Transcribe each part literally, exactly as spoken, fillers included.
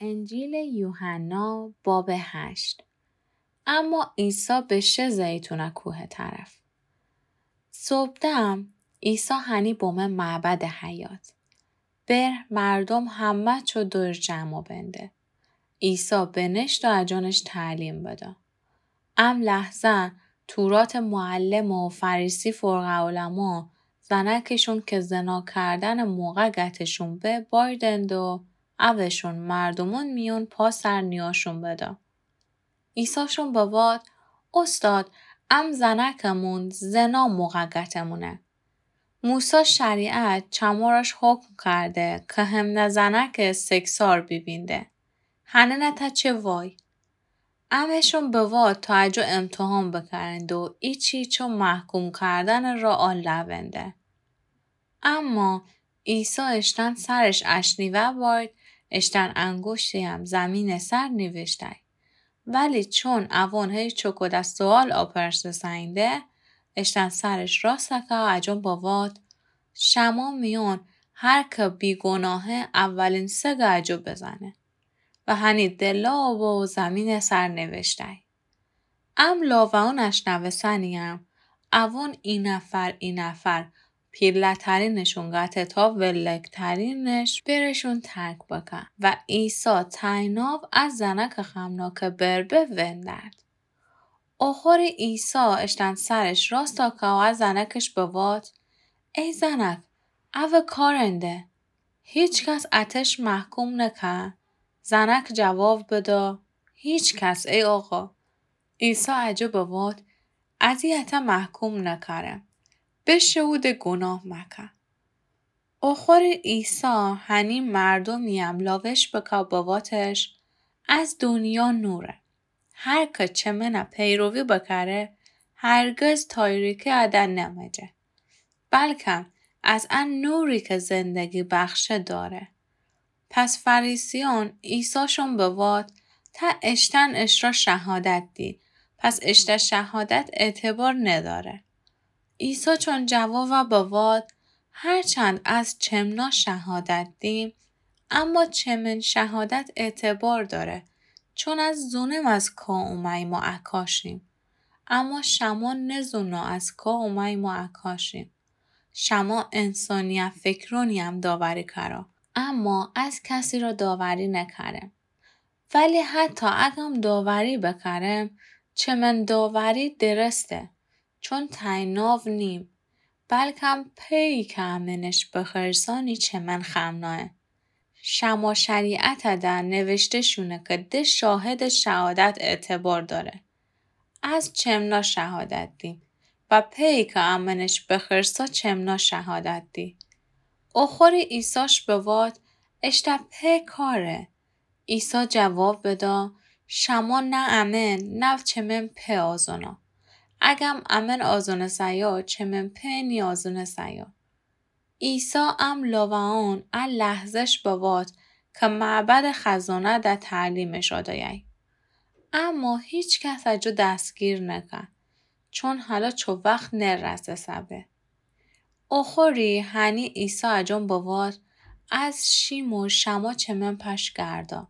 انجیلٚ یوحنا، بابٚ هشت. اما عیسی بشه زیتونٚ کوهٚ طرف. صبحدم عیسی هنی بمه معبدٚ حیاط. بر مردوم همه چو دور جمع بنده. عیسی بنشت و اجانش تعلیم بده. ام لحظه توراتٚ معلم و فریسی فرقه‌علما زنکشون که زنا کردنٚ موقع گتشون به بایدند و اوشون مردومون میون پا سر نیاشون بده. عیساشون بواد: اوستاد، ام زنکمون زنا موقع گتمونه. موسی شریعت چمورش حکم کرده که همنه زنک سگسار بیبینده. هننه تا چه وای؟ امشون بواد تا اجو امتحان بکرند و ایچی چو محکوم کردنٚ را آل لونده. اما عیسی اشتن سرش اشنیوه باید، اشتن انگوشتیم زمینٚ سر نیوشتای. ولی چون اوون هی چوکوده سؤال آپرسه‌ساینده، اشتن سرش راسته که اجون بواد: شما میون هر که بیگناهه اولین سگ اجو بزنه. و هنی دلا و زمینٚ سر نیوشتای. ام لاوه‌اون اشنوسنیم، اوون اینفر اینفر پیله‌ترینشون گته تا ولگ‌ترینش برشون ترک بکه. و عیسی تایناو از زنک خمناکٚ بر به وندرد. اوخوری عیسی اشتن سرش راستا که و از زنکش بواد: ای زنک، اوه کارنده، هیچ کس اتش محکوم نکه؟ زنک جواب بده: هیچ کس، ای آقا. عیسی اجو بواد: ازی اته محکوم نکرم، بشه اود گناه مکه. اوخوری عیسی هنی مردومیم لاوش بکه بوادش: از دونیا نوره. هر که چه منه پیروی بکره، هرگز تاریکی اده نمجه، بلکم از ان نوری که زندگی بخشه داره. پس فریسیون عیساشون بواد: تا اشتن اشرا شهادت دی، پس اشته شهادت اعتبار نداره. عیسی چون جواب بواد: هرچند از چمنا شهادت دیم، اما چمن شهادت اعتبار داره، چون از زونم از کا اوماییم و اکاشیم. اما شما نزونو از کا اوماییم و اکاشیم. شما انسانی‌فکرونیم داوری کرا، اما از کسی را داوری نکرم. ولی حتی اگم داوری بکرم، چمن داوری درسته، چون تایناو نیم، بلکم پئی که امنش بخرسانی چمن خمناه. شما شریعت ده نوشته شونه که ده شاهد شهادت اعتبار داره. از چمنا شهادت دیم و پئی که امنش بخرسا چمنا شهادت دی. اوخوری عیساش بواد: اشته په کاره. عیسی جواب بدا: شما نه امن نه چمن په آزونا. اگم امن آزونسه‌یا، چمن په نیازونسه‌یا. عیسی ام لاوه‌ان ا لحظه‌ش بواد که معبدٚ خزانه ده تعلیمش آدایه. اما هیچ کس اجو دستگیر نکه، چون حالا چو وخت نرسه‌سه به. اوخوری هنی عیسی اجون بواد: از شیم و شما چمن پشگردا،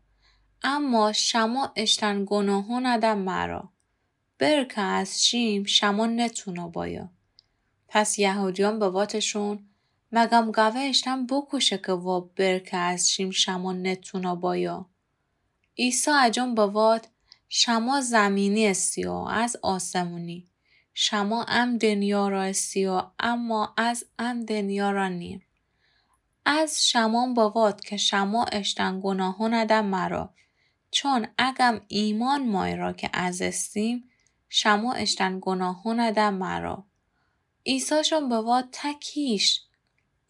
اما شما اشتن گناهون ده مرا. بر که از شیم شما نتونا بایا. پس یهودیان بواتشون: مگم گوه اشتن بکوشه که وا بر که از شیم شما نتونا بایا؟ عیسی اجون بواد: شما زمینی استی و از آسمونی. شما ام دنیا را استی و اما از ام دنیا را نیم. از شمان بواد که شما اشتن گناهون ده مرا. چون اگم ایمان مای را که از استیم، شما اشتن گناهون ده مرا. عیساشون بواد: ته کیش؟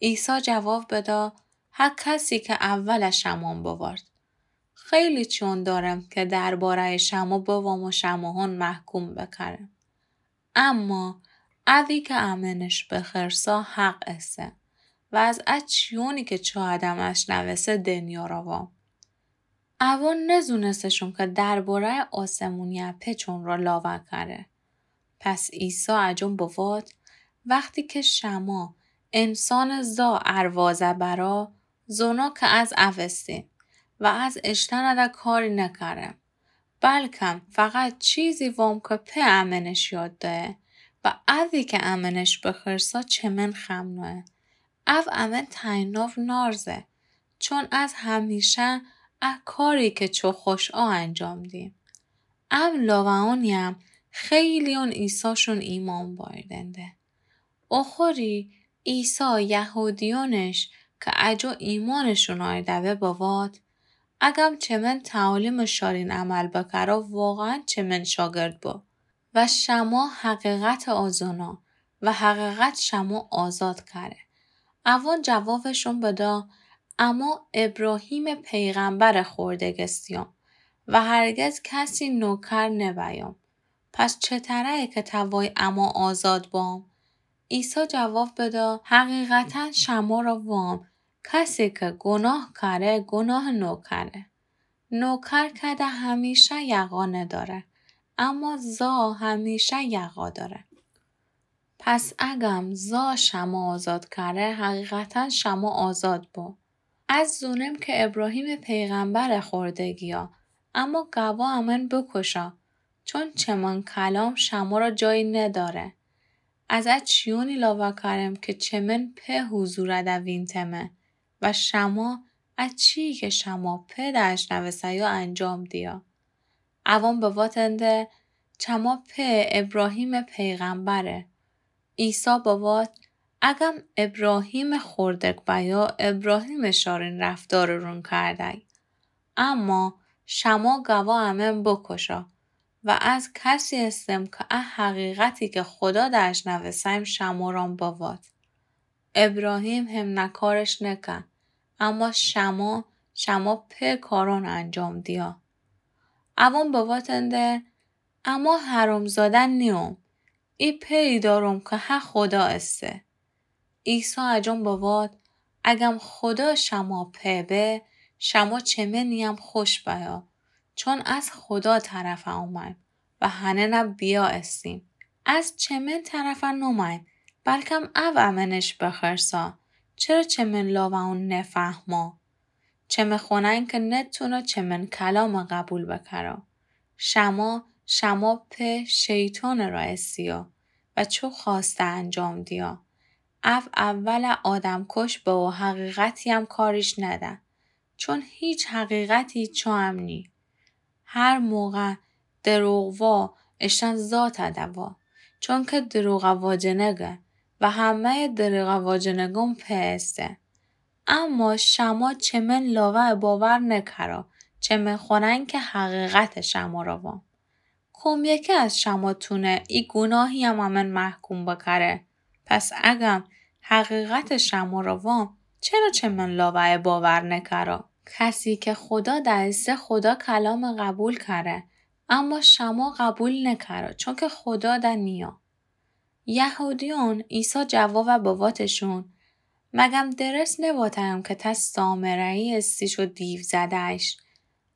عیسی جواب بدا: هر کسی که اول شمان بوارد. خیلی چیون دارم که درباره‌یٚ شما بوام و شماهون محکوم بکرم. اما اوی که امنش بخرسا حق اسه و از ا چیونی که چو ادم اشنوسه دنیا را وام. اوان نزونستشون که درباره‌یٚ آسمونی اپه چون را لاوه کره. پس عیسی اجون بواد: وقتی که شما انسانٚ زا اروازه برا، زونا که از اوستین، و از اشتأنٚ ده کاری نکرم. بلکم فقط چیزی وام که په امنش یاد دهه و اوی که امنش بخرسه چمن خمنوه. او امن تأیناو نارزه، چون از همیشه ا کاری که چو خوشأ انجام دیم. ام لاوه‌یونیم خیلیون عیساشون ایمأن بأوردنده. اوخوری عیسی یهودیونش که اجو ایمأنشون آرده به بواد، اگم چمن تعالیمٚ شارین عمل بکره واقعاً چمن شاگرد بو و شما حقیقت آزونا و حقیقت شما آزاد کره. اوان جوابشون بده، اما ابراهیمٚ پیغمبرٚ خوردگستیام و هرگز کسی نوکر نبیام. پس چتره‌یه که توای اما آزاد بام؟ عیسی جواب بده، حقیقتاً شمره وام، کسی که گناه کره، گناهٚ نوکره. نوکر کده همیشه یقا نداره، اما زا همیشه یقا داره. پس اگم زا شما آزاد کره، حقیقتاً شما آزاد بو. از زونم که ابراهیمٚ پیغمبرٚ خوردگیا، اما گوا امن بکشه، چون چمن کلام شمره جایی نداره. از ا چیونی لاوه کرم که چمن په حضورٚ ده وینتمه و شما ا چیی که شما په ده اشنوسته‌یو انجام دیه. اوان بواتنده، چما په ابراهیمٚ پیغمبره. عیسی بوات، اگم ابراهیمٚ خوردک بیا، ابراهیمٚ شارین رفتارٚ رون کردی. اما شما گوا امن بکشه و از کسی استم که ا حقیقتی که خودا ده اشنوستیم شمران بوات. ابراهیم هم نکارش نکه، اما شما، شما په کاران انجام دیه. اوان بواتنده، اما حرامزاده نیوم، ای پئی دارم که ها خودا اسه. عیسی اجون بوات، اگم خودا شما په به، شما چمنیم خوش بیا، چون از خودا طرف اومیم و هننه بیا استیم. از چمن طرف نومیم، بلکم او امنش بخرسه. چره چمن لاوه‌یون نفهمه؟ چمه خونین که نتونه چمن کلام قبول بکره. شما، شما په شیطان راه استیه و چو خواسته انجام دیه. او اول آدمکش به و حقیقتی هم کاریش نده، چون هیچ حقیقتی چو هم نی. هر موقع دروغ وا، اشتن ذات دوا، چون که دروغ واجنگه و همهٔ دروغ واجنگون په استه. اما شما چمن لاوه باور نکره، چمن خونین که حقیقت شمره وام. کوم یکی از شما تونه ای گوناهی هم امن محکوم بکره؟ پس اگم حقیقت شمره وام، چره چمن لاوه باور نکره؟ کسی که خودا ده اسه خودا کلام قبول کره، اما شما قبول نکره، چون که خودا ده نیه. یهودیون عیسی جواب بواتشون، مگم درست نواتیم که ته سامره‌یی استی چو دیو زده‌یش؟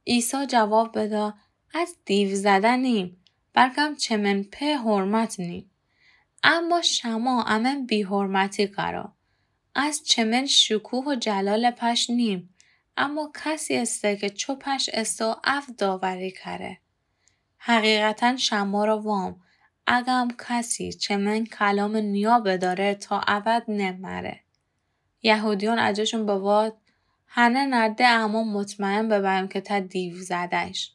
عیسی جواب بده، از دیو زده نیم، بلکم چمن په حرمت نیم. اما شما امن بی‌حرمتی کره. از چمن شکوه و جلال پش نیم، اما کسی استه که چو پش استه و او داوری کره. حقیقتاً شمره وام، اگم کسی چمن کلام نیا بداره تا ابد نمره. یهودیون اجشون بوات، هننه ده اما مطمئن ببیم که ته دیو زده‌یش.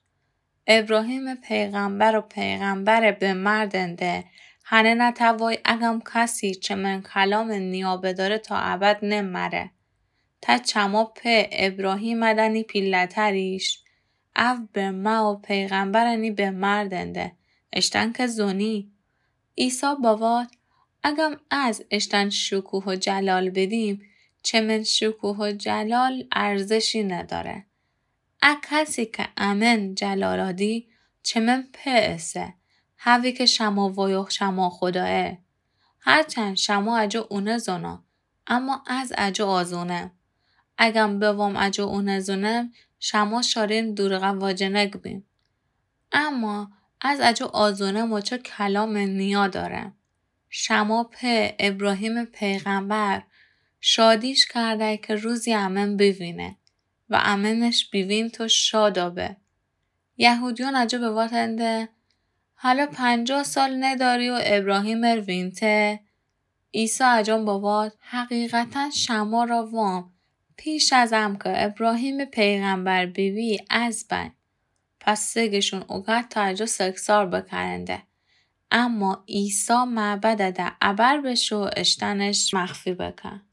ابراهیم پیغمبر و پیغمبر به مردن ده، هننه ته وای اگم کسی چمن کلام نیا بداره تا ابد نمره. ته چما په ابراهیم دنی پیله‌تریش، او به مه و پیغمبرنی به مردن ده، اشتن که زونی. عیسی بوات، اگم از اشتن شکوه و جلال بدیم، چمن شکوه و جلال ارزشی نداره. ا کسی که امن جلالا دی، چمن په اسه، هوی که شما وایو شما خودایه. هرچند شما اجو اونه زونا، اما از اجو آزونم. اگم بوام اجو اونه زونم، شما شارین دوروغ واجنگ بیم. اما از اجو آزونم و چو کلام نیا دارم. شما په ابراهیم پیغمبر شادیش کرده که روزی امن بوینه. و امنش بیوینت و شاد آبه. یهودیون اجا بواتنده، هلا پنجاه سال نداری و ابراهیم ار وینته؟ عیسی اجان بوات، حقیقتاً شمارا وام، پیش از ام که ابراهیم پیغمبر بیبی از بین. پس سگشون اوگرد تا اجا سگسار بکرنده. اما عیسی معبد ده ابر بشو اشتنش مخفی بکن.